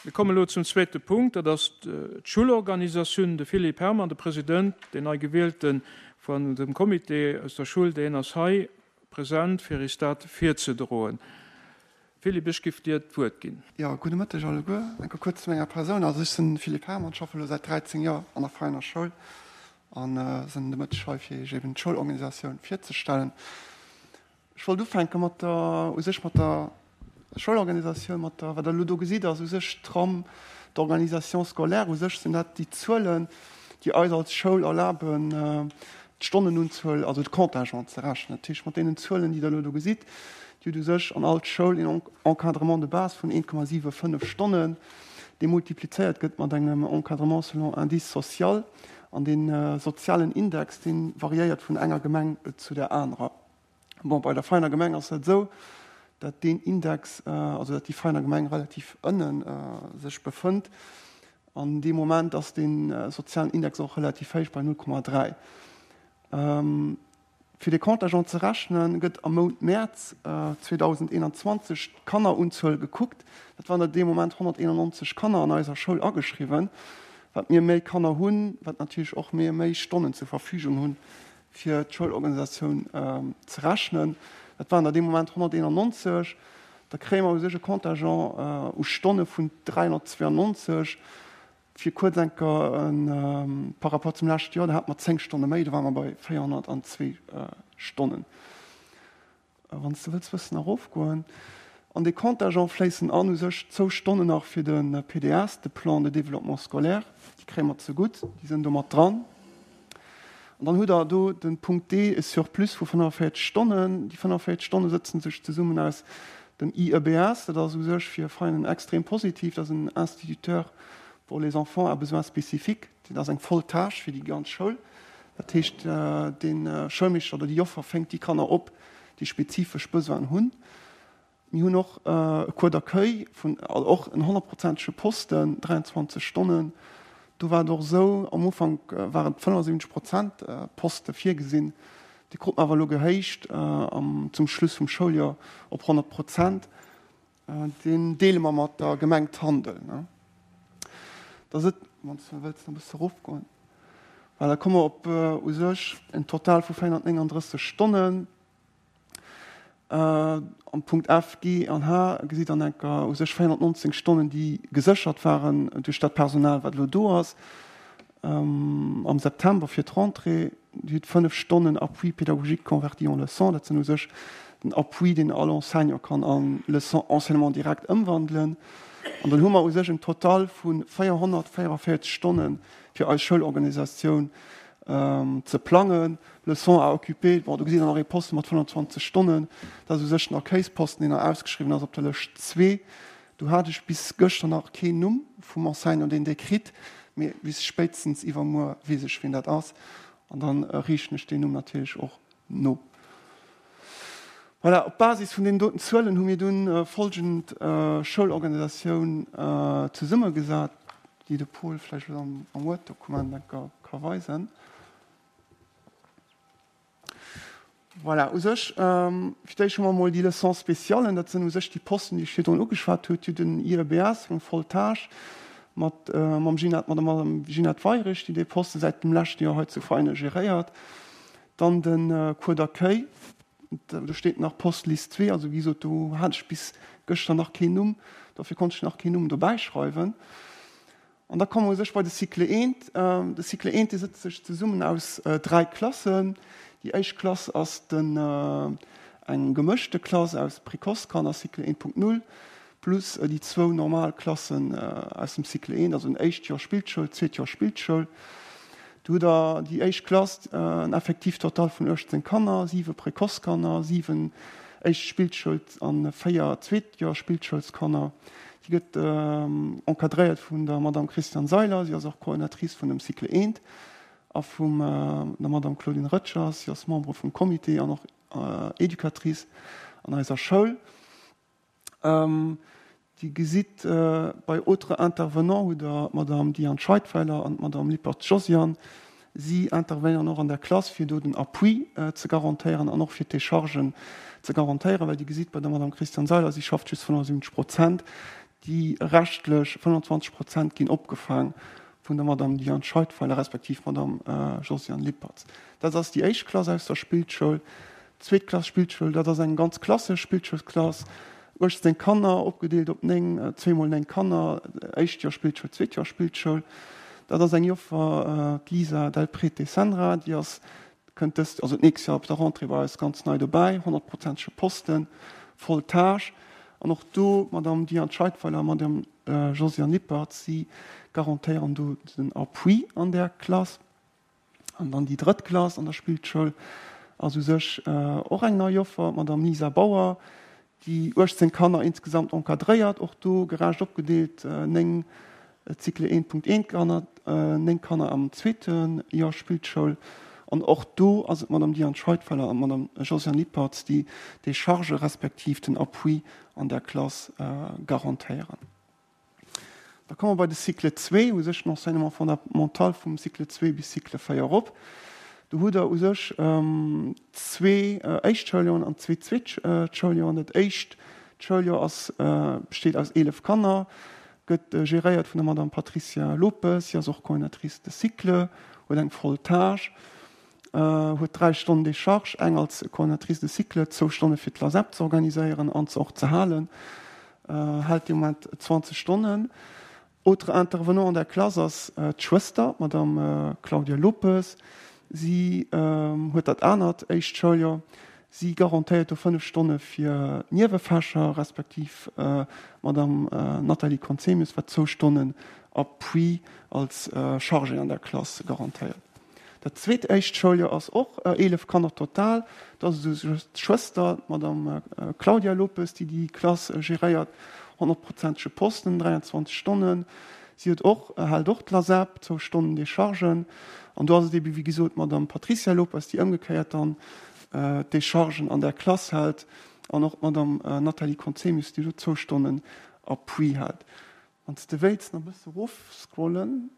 Mir kommen elo zum zweete Punkt, dat ass d'Schullorganisatioun. De Philippe Herrmann, de President, deen nei Gewielte vun dem Comité aus der Schull, deen ass hei present, fir is dat virzedroen. Philippe, ech giff dir d'Wuert ginn. Jo, gudde Mëtteg alleguer. Eng Kéier kuerz zu menger Persoun. Also ech sinn de Philippe Herrmann, schaffe elo säit 13 Joer an der Vereiner Schoul an sinn de Mëtteg hei, fir Iech eben d'Schoulorganisatioun virzestellen. Ech wollt ufänke mat der, u sech mat der Schoulorganisatioun, mat der, wat Der elo do gesitt, ass u sech d'Trame d'organisation scolaire. U sech sinn dat déi Zuelen, déi eis als Schoul erlaben, d'Stonnenunzuel, also de Contingent ze rechnen. Dat heescht, mat deenen Zuelen, déi Der elo do gesitt, Dir hutt u sech an all Schoul een Encadrement de base vun 1,75 Stonnen, dee multiplizéiert gëtt mat engem Encadrement selon indice social. An dee sozialen Index, dee variéiert vun enger Gemeng zu der anerer. Bon, bei der Veiner Gemeng ass dat esou, datt deen Index, also datt déi Veiner Gemeng relativ ënne sech befënnt. An dee Moment ass dee sozialen Index och relativ héich bei 0,3. Fir de Contingent ze rechnen, gëtt am Mount Mäerz 2021 d'Kannerunzuel gekuckt. Dat waren der dee Moment 191 Kanner an eiser Schoul ageschriwwen. Wat mir méi Kanner hunn, wat natierlech och mir méi Stonnen zur Verfügung hunn, fir d'Schoulorganisatioun ze rechnen. Dat waren der dee Moment 191. Da kréie mer u sech e Contingent u Stonne vun 392. Fir kuerz eng Kéier par rapport zum leschte Joer, do hate mer 10 Stonne méi, do ware mer bei 402 Stonnen. Wann s de wëlls bëssen erofgoen. An dee Contingent fléissen an u sech zwou Stonnen nach fir de PDS, de Plan de développement scolaire, déi kréie mer zegutt, déi sinn do mat dran. An dann hutt Der do de Punkt D, e Surplus vu 45 Stonnen. Déi 45 Stonne sëtzen sech zesummen aus dem IEBS, dat ass u sech fir Veinen extrem positiv, dat ass en Instituteur pour les enfants à besoins spécifiques, dat ass eng voll Tâche fir déi ganz Schoul. Dat heescht, de Schoulmeeschter oder déi Joffer fänkt déi Kanner op, déi spezifesch Besoinen hunn. Mir hunn och e Cours d'accueil vun, also och en honnertprozentege Posten, 23 Stonnen. Do war et och esou, am Ufank waren 75 Prozent Poste virgesinn, déi krut mer awer elo gehéicht zum Schluss vum Schouljoer op 100 Prozent. Deen deele mer mat der Gemeng Tandel. Da sët, wann s de wëlls, nach e bësse erofgoen. Voilà, da komme mer op u sech en Total vu 439 Stonnen. Am Punkt F, G an H gesitt Der enker u sech 419 Stonnen, déi geséchert waren duerch dat Personal, wat elo do ass. Am September fir d'Rentrée, Dir hutt 5 Stonnen Appui pédagogique converti en leçon. Dat sinn u sech den Appui, deen all Enseignant kann a Leçon enseignement direct ëmwandelen. An dann hu mer u sech en Total vu 444 Stonnen fir eis Schoulorganisatioun ze plangen. Leçons à occuper, bon, do gesitt Der nach ee Posten mat 25 Stonnen, dat ass u sech den Accueilsposten, deen nach ausgeschriwwen ass op der Lëscht zwee. Do hat ech bis gëschter nach keen Numm vum Enseignant, deen dee kritt, mee bis spéitstens iwwermuer weess ech, wien dat ass, an da riichten ech deen Numm natierlech och no. Voilà, op Basis vun deenen doten Zuelen hu mir dunn folgend Schoulorganisatioun zesummegesat, déi de Paul vläicht elo am Word-Dokument eng Kéier ka weisen. Voilà, u sech, fir d'éischt hu mer emol déi Leçons spéciales, dat sinn u sech déi Posten, déi ech virdrun ugeschwat hunn. Dir hutt den IEBS, eng voll Tâche, mat mam Ginette, mat der Madame Ginette Weirich, déi dee Poste säit dem leschte Joer hei zu Veinen geréiert. Dann de Cours d'accueil, do steet nach Poste Liste 2, also wéi gesot, do hat ech bis gëschter nach keen Numm, dofir konnt ech nach keen Numm dobäischreiwen. An da komme mer u sech bei de Cycle I. De Cycle I, dee sëtzt sech zesummen aus dräi Klassen. Déi éischt Klass ass den, eng gemëschte Klass aus Précoce-Kanner, Cycle 1.0, plus déi zwou normal Klassen aus dem Cycle I, also den éischt Joer Spillschoul, zweet Joer Spillschoul. Do hutt Der déi éischt Klass, en Effectif total vun 18 Kanner, siwe Précoce-Kanner, siwen éischt Spillschouls a véier zweet Joer Spillschoulskanner. Si gëtt encadréiert vun der Madame Christiane Seiler, si ass och Coordinatrice vun dem Cycle I, a vum der Madame Claudine Röttgers, si ass Membre vum Comité an och Educatrice an eiser Schoul. Dir gesitt, bei autres intervenants hutt Der d'Madame Diane Scheidweiler an d'Madame Lippert Josiane. Si intervenéieren och an der Klass, fir do den Appui ze garantéieren an och fir d'Déchargen ze garantéieren, well Dir gesitt bei der Madame Christiane Seiler, si schafft just 75 Prozent. Déi reschtlech 25 Prozent ginn opgefaang vun der Madame Diane Scheidweiler respektiv Madame Josiane Lippertz. Dat ass déi éischt Klass aus der Spillschoul. D'zweet Klass Spillschoul, dat ass eng ganz klassesch Spillschoulsklass, 18 Kanner, opgedeelt op 9, zweemol 9 Kanner, éischt Joer Spillschoul, zweet Joer Spillschoul. Dat ass eng Joffer, d'Lisa Del Prete Sendra, déi ass, kënnt dëst, also d'nächst Joer op der Rentrée bei eis ganz nei dobäi, honnertprozentege Posten, voll Tâche. An och do, d'Madame Diane Scheidweiler a Madame Josiane Lippertz, si garantéieren do den Appui an där Klass. An dann déi drëtt Klass an der Spillschoul ass u sech och eng nei Joffer, d'Madame Lisa Bauer, déi 18 Kanner insgesamt encadréiert, och do gerecht opgedeelt, 9 Cycle 1.1 Kanner, 9 Kanner am zweete Joer Spillschoul. An och do ass et d'Madame Diane Scheidfeller an d'Madame Josiane Lippertz, déi d'Décharge respektiv den Appui an där Klass garantéieren. Da komme mer bei de Cycle 2, u sech den Enseignement fondamental vum Cycle 2 bis Cycle 4 erop. Do hutt Der u sech zwee éischt Schouljoren an zwee zweet Schouljoren. Dat éischt Schouljoer ass, besteet aus 11 Kanner, gëtt geréiert vun der Madame Patricia Lopes. Si ass och Coordinatrice de cycle, huet eng voll Tâche, huet dräi Stonnen Décharge, eng als Coordinatrice de cycle, zwou Stonne fir d'LASEP ze organiséieren an se och ze halen. Hält de Moment 20 Stonnen. Autre intervenant an der Klass ass d'Schwëster, d'Madame Claudia Lopes. Si huet dat anert éischt Schouljoer. Si garantéiert do 5 Stonne fir d'Niewefächer, respektiv d'Madame Nathalie Conzemius, wat zwou Stonnen Appui als Chargée an der Klass garantéiert. Dat zweet éischt Schouljoer ass och 11 Kanner total. Do ass et esou just d'Schwëster, d'Madame Claudia Lopes, déi déi Klass geréiert, honnertprozentege Posten, 23 Stonnen. Si huet och, hält och d'LASEP, zwou Stonnen Dechargen. An do ass et ebe wéi gesot d'Madame Patricia Lopes, déi ëmgekéiert dann d'Dechargen an där Klass hält an och d'Madame Nathalie Conzemius, déi do zwou Stonnen Appui hält. Wann s de wéilts nach e bësse rofscrollen.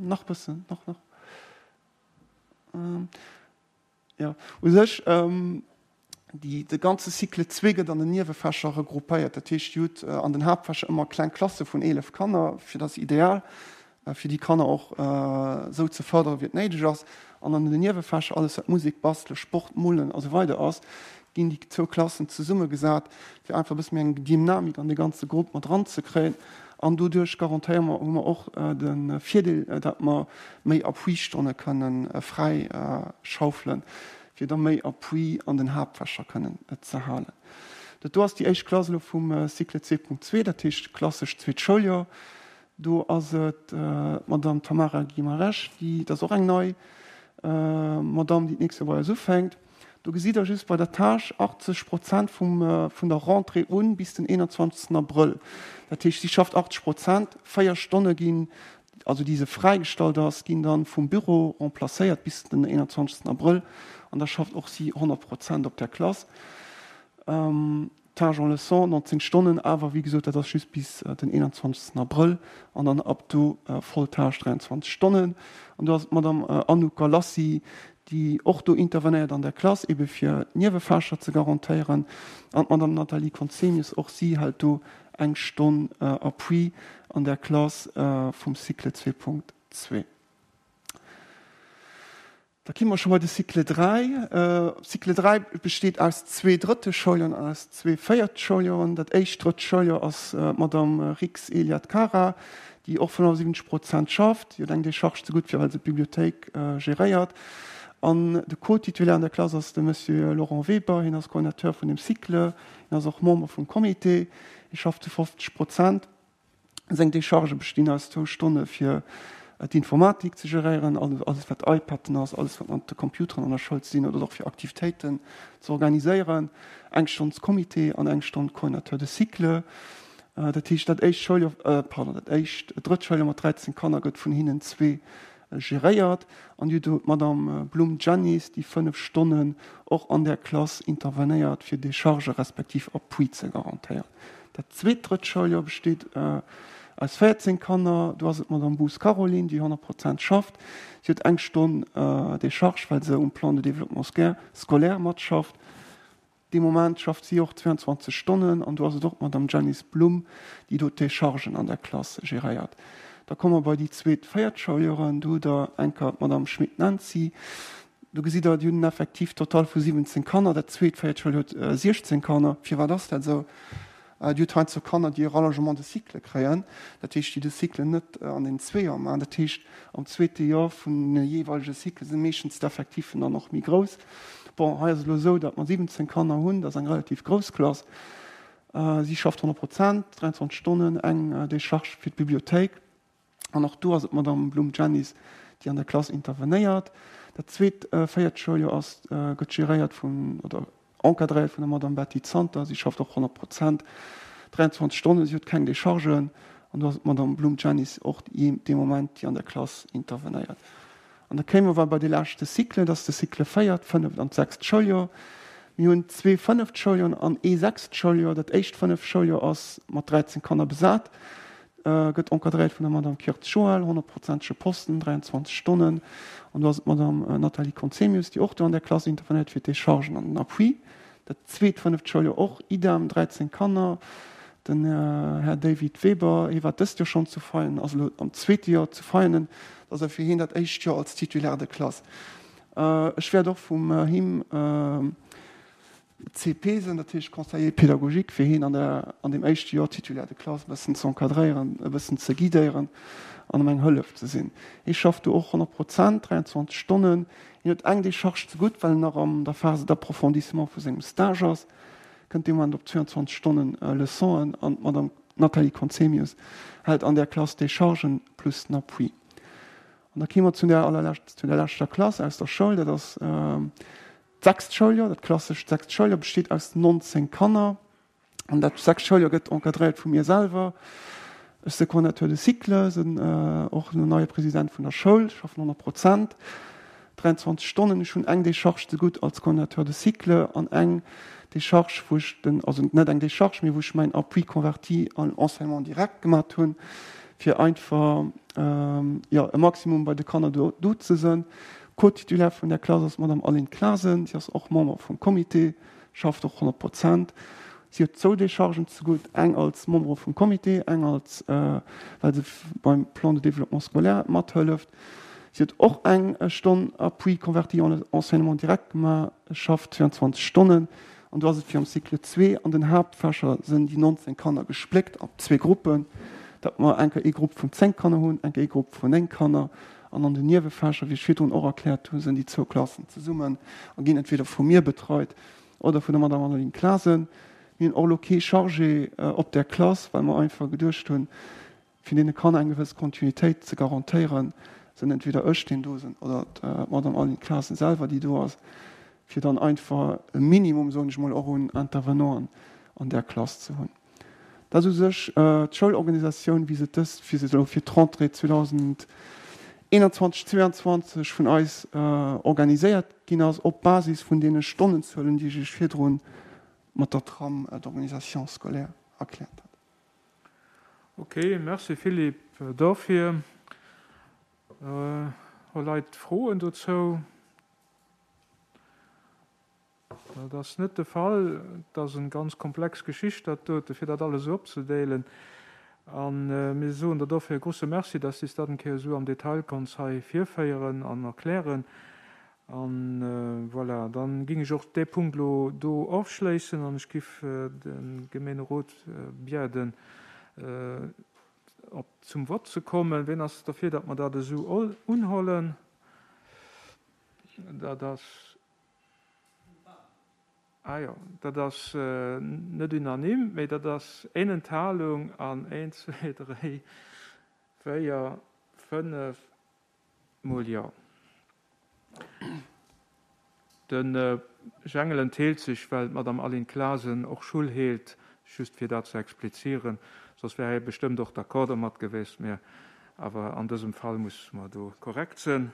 Nach bëssen, nach, nach. Jo, u sech, déi, de ganze Cycle zwee gëtt an den Niewefächer regroupéiert. Dat heescht, Dir hutt an den Haaptfächer ëmmer kleng Klasse vun 11 Kanner, fir dat ass ideal, fir déi Kanner och esou ze fërderen, wéi et néideg ass. An an den Niewefächer, alles wat Musek, Bastelen, Sport, Molen a sou weider ass, ginn déi zwou Klassen zesummegesat, fir einfach e bësse méi eng Dynamik an dee ganze Grupp mat eranzekréien. An doduerch garantéiere mer, hu mer och de Virdeel, datt mer méi Appui-Stonne kënnen fräi schaufelen, fir da méi Appui an den Haaptfächer kënnen ze halen. Dat do ass déi éischt Klass elo vum Cycle 2.2, dat heescht klassesch zweet Schouljoer. Do ass et d'Madame Tamara Guimarães, déi, dat ass och eng nei Madame, déi d'nächst Joer bei eis ufänkt. Do gesitt Der just bei der Tâche 80 Prozent vum, vun der Rentrée un bis den 21. Abrëll. Dat heescht, si schafft 80 Prozent, véier Stonne ginn, also déi se fräigestallt ass, ginn dann vum Büro remplacéiert bis den 21. Abrëll an da schafft och si 100 Prozent op där Klass. Tâche en leçon, 19 Stonnen, awer wéi gesot, dat ass just bis den 21. Abrëll an dann ab do voll Tâche, 23 Stonnen. An do ass d'Madame Anouk Galassi, déi och do intervenéiert an der Klass, ebe fir d'Niewefächer ze garantéieren. An d'Madame Nathalie Conzemius, och si hält do eng Stonn Appui an der Klass vum Cycle 2.2. Da ki mer scho bei de Cycle 3. Cycle 3 besteet aus zwee drëtte Schouljoren an aus zwee véierte Schouljoren. Dat éischt drëtt Schouljoer ass d'Madame Rix Eliad Cara, déi och 75 Prozent schafft. Si huet eng Décharge zegutt fir well se d'Bibliothéik geréiert. An de Co-Titulaire an der Klass ass de Monsieur Laurent Weber. Hien ass Coordinateur vun dem Cycle. Hien ass och Member vum Comité. Hie schafft zu 50 Prozent. Seng Dechargë bestinn aus zwou Stonne fir d'Informatik ze geréieren, alles wat iPaden ass, alles wat mat de Computeren an der Schoul ze dinn huet, oder och fir Aktivitéiten ze organiséieren, eng Stonn Comité an eng Stonn Coordinateur de cycle. Dat heescht, dat éischt Schouljoer, pardon, dat éischt drëtt Schouljoer mat 13 Kanner gëtt vun hinnen zwee geréiert. An dir hutt do d'Madame Blum Janice, déi 5 Stonnen och an där Klass intervenéiert, fir Decharge respektiv Appui ze garantéieren. Dat zweet drëtt Schouljoer besteet aus 14 Kanner. Do ass et d'Madame Boos Caroline, déi 100 Prozent schafft. Si huet eng Stonn Decharge, well se um Plan de développement scolaire matschafft. Dee Moment schafft si och 22 Stonnen an do ass et och d'Madame Janice Blum, déi do d'Déchargen an der Klass geréiert. Da komme mer bei déi zweet véiert Schouljoren. Do hutt Der eng Kéier d'Madame Schmit Nancy. Do gesitt Der, déi hunn en Effectif total vu 17 Kanner. Dat zweet véiert Schouljoer huet 16 Kanner. Firwat ass dat esou? Dir hutt heiansdo Kanner, déi e Rallongement de cycle kréien, dat heescht, déi de Cycle net an den zwee Joer maachen. Dat heescht, am zweete Joer vun de jeeweilege Cycle si meeschtens d'Effectiffen dann och méi grouss. Bon, hei ass et elo esou, datt mer 17 Kanner hunn, dat ass eng relativ grouss Klass. Si schafft 100 Prozent, 23 Stonnen, eng Décharge fir d'Bibliothéik. An och do ass et d'Madame Blum-Janice, déi an der Klass intervenéiert. Dat zweet véiert Schouljoer ass, gëtt geréiert vun, oder encadréiert vun der Madame Betty Zanter. Si schafft och 100 Prozent, 23 Stonnen, si huet keng Dechargen. An do ass et d'Madame Blum-Janice och dee Moment, déi an der Klass intervenéiert. An da kéime mer bei dee leschte Cycle, dat ass de Cycle véiert, fënneft an d'sechst Schouljoer. Mir hunn zwee fënneft Schouljoren an ee sechst Schouljoer. Dat éischt fënneft Schouljoer ass mat 13 Kanner besat. Gëtt encadréiert vun der Madame Kirtz Joëlle, honnertprozentege Posten, 23 Stonnen. An do ass et d'Madame Nathalie Conzemius, déi och do an där Klass intervenéiert fir d'Déchargen an den Appui. Dat zweet fënneft Schouljoer och idem, 13 Kanner. Den Här David Weber, hie war dëst Joer schonn zu Veianen, ass elo am zweete Joer zu Veianen. Dat ass fir hien dat éischt Joer als Titulaire de classe. Ech wäert och vum him CP sinn, dat heescht Conseiller pédagogique, fir hien an der, an deem éischte Joer Titulaire de classe e bëssen ze encadréieren, e bëssen ze guidéieren an em eng Hëllef ze sinn. Hie schafft do och 100 Prozent, 23 Stonnen. Hien huet eng Décharge ze gutt, well en nach an der Phase d'approfondissement vu sengem Stage ass, kënnt dee Moment op 22 Stonnen Leçonen an d'Madame Nathalie Conzemius hält an där Klass Déchargen plus den Appui. An da kéime mer zu der allerlescht, zu der leschter Klass aus der Schoul, dat ass D'sechst Schouljoer, dat klassescht sechst Schouljoer besteet aus 19 Kanner. An dat sechst Schouljoer gëtt encadréiert vu mir selwer. Ech si Coordinateur de cycle, sinn och elo neie President vun der Schoul, schaffen 100 Prozent, 23 Stonnen. Ech hunn eng Décharge zegutt als Coordinateur de cycle an eng Décharge, wou ech den, also net eng Décharge, mee wou ech mäin Appui converti en enseignement direct gemat hunn, fir einfach, jo, e Maximum bei de Kanner do do ze sënn. Co-Titulaire vun där Klass ass d'Madame Aline Clasen. Si ass och Member vum Comité, schafft och 100 Prozent. Si huet zwou Déchargen zegutt, eng als Membre vum Comité, eng als, well se beim Plan de développement scolaire mathëlleft. Si huet och eng Stonn Appui converti en enseignement direct gemaach, schafft 22 Stonnen. An do ass et wéi am Cycle zwee, an den Haaptfächer sënn déi 19 Kanner gespléckt op zwee Gruppen, datt mer eng Kéier ee Grupp vun 10 Kanner hunn, eng Kéier ee Grupp vun 9 Kanner. An an den Niewefächer, wéi ech virdrun och erkläert hunn, sënn déi zwou Klassen zesummen a ginn entweder vu mir betreit oder vun der Madame Anneline Clasen. Mir hunn och elo kee Chargé op där Klass, well mer einfach geduecht hunn, Fir deene Kanner eng gewëss Kontinuitéit ze garantéieren, sinn entweder ech, deen do sinn, oder d'Madame Aline Clasen selwer, déi do ass, fir dann einfach e Minimum, soen ech mol, och un Intervenanten an där Klass ze hunn. Dat ass u sech d'Schoulorganisatioun, wéi se dës, wéi se elo fir d'Rentrée 2021, 2022 vun eis organiséiert ginn ass, op Basis vun deene Stonnenzuelen, déi ech Iech virdrun mat der Trame d'organisation scolaire erkläert hat. Ok, merci Philippe dofir. Hu Leit Froen dozou? Dat ass net de Fall. Et ass eng ganz komplex Geschicht dat dote, fir dat alles esou opzedeelen. A mir soen der dofir e grouse Merci, dass s de dat eng Kéier esou am Detail konns hei virféieren an erklären. An voilà, dann ging ech och dee Punkt elo do ofschléissen an ech giff de Gemeenerot biäden op zum Vott ze kommen. Ween ass derfir, datt mer dat esou unhollen? Dat ass, ah jo, dat ass net unanime, mee dat ass een Enthalung an een, zwee, dréi, véier, fënnef, Mol jo. De Jengel entheelt sech, well d'Madame Aline Clasen och Schull heelt, just fir dat ze explizieren, soss wär hie bestëmmt och d'accord domat gewiescht, mä awer an dësem Fall musse mer do korrekt sënn.